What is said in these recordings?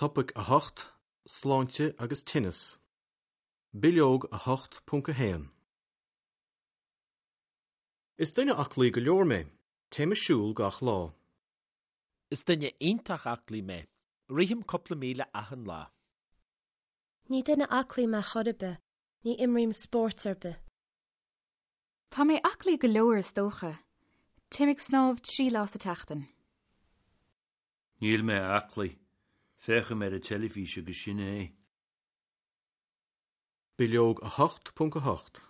Topaic 8, Sláinte agus Tinneas. Bileog 8.1. Is duine aclaí go leor mé. Téim ag siúl gach lá. Is duine iontach aclaí mé. Rithim cúpla míle achan lá. Ní duine aclaí mé chor ar bith. Ní imrím spórt ar bith. Tá mé aclaí go leor is dócha. Téim ag snámh 3 lá sa tseachtain. Níl mé aclaí. Féachaim ar an teilifís agus sin é. Bileog 8.8.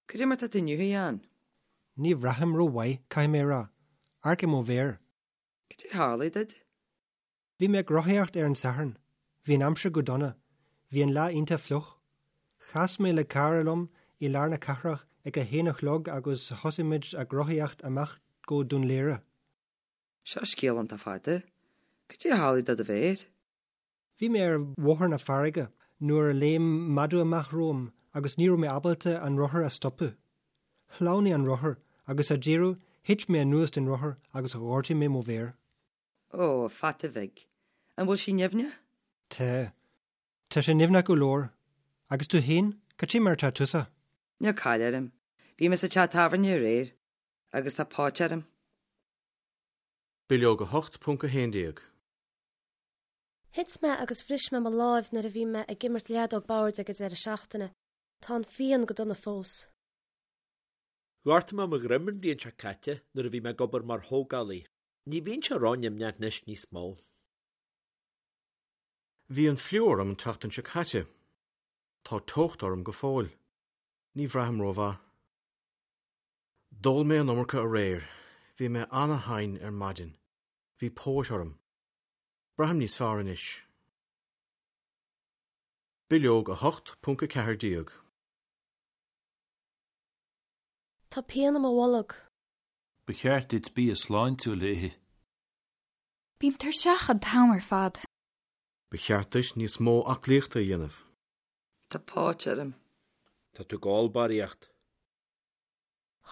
Cad é mar tá tú inniu, a Sheáin? Ní bhraithim rómhaith, caithfidh mé a rá. Amharc ar mo mhéar. Cad é a tharlaigh duit? Bhí mé ag rothaíocht ar an Satharn. Bhí an aimsir go dona. Bhí an lá iontach fliuch. Chas mé le cara liom i lár na cathrach ag a haon a chlog agus thosaigh muid ag rothaíocht amach go Dún Laoghaire. Seo scéal iontach fada. Cad é a tharlaigh do do mhéar? Bhí mé ar bhóthar na farraige nuair a léim madadh amach romham agus ní raibh mé ábalta an rothar a stopadh. Shleamhnaigh an rothar agus sa deireadh thit mé anuas den rothar agus ghortaigh mé mo mhéar. Ó, a pheata bhig. An bhfuil sí nimhneach? Tá. Tá sé nimhneach go leor. Agus tú féin, cad é mar atá tusa? Níl caill orm. Bhí mé sa teach tábhairne aréir agus tá póit orm. Bileog 8.11. Thit mé agus bhris mé mo láimh nuair a bhí mé ag imirt leadóg boird ag an deireadh seachtaine. Tá an phian go dona fós. Ghortaigh mé mo dhroim an bhliain seo caite nuair a bhí mé ag obair mar thógálaí. Ní bhíonn sé ró-nimhneach anois níos mó. Bhí an fliú orm an tseachtain seo caite. Tá teocht orm go fóill. Ní bhraithim rómhaith. D'ól mé an iomarca aréir. Bhí mé an-tinn ar maidin. Bhí póit orm. Braithim níos fearr anois. Bileog 8.14. Tá pian i mo bholg. Ba cheart duit bia sláintiúil a ithe. Bím tuirseach an t-am ar fad. Ba cheart duit níos mó aclaíochta a dhéanamh. Tá póit orm. Tá tú ag ól barraíocht.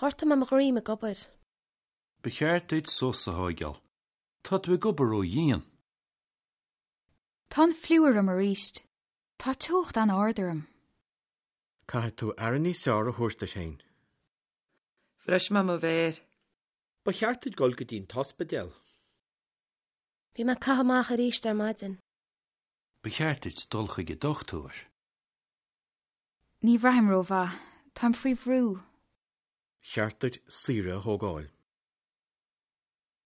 Ghortaigh mé mo dhroim ag obair. Ba cheart duit sos a thóigeáil. Tá tú ag obair ró-dhian. Tá an fliú orm arís. Tá teocht an-ard orm. Caithfidh tú aire níos fearr a thabhairt duit féin. Bhris mé mo mhéar. Ba cheart duit dul go dtí an t-ospidéal. Bhí mé ag caitheamh amach arís ar maidin. Ba cheart duit dul chuig an dochtúir. Ní bhraithim rómhaith. Táim faoi bhrú. Cheart duit saoire a thógáil.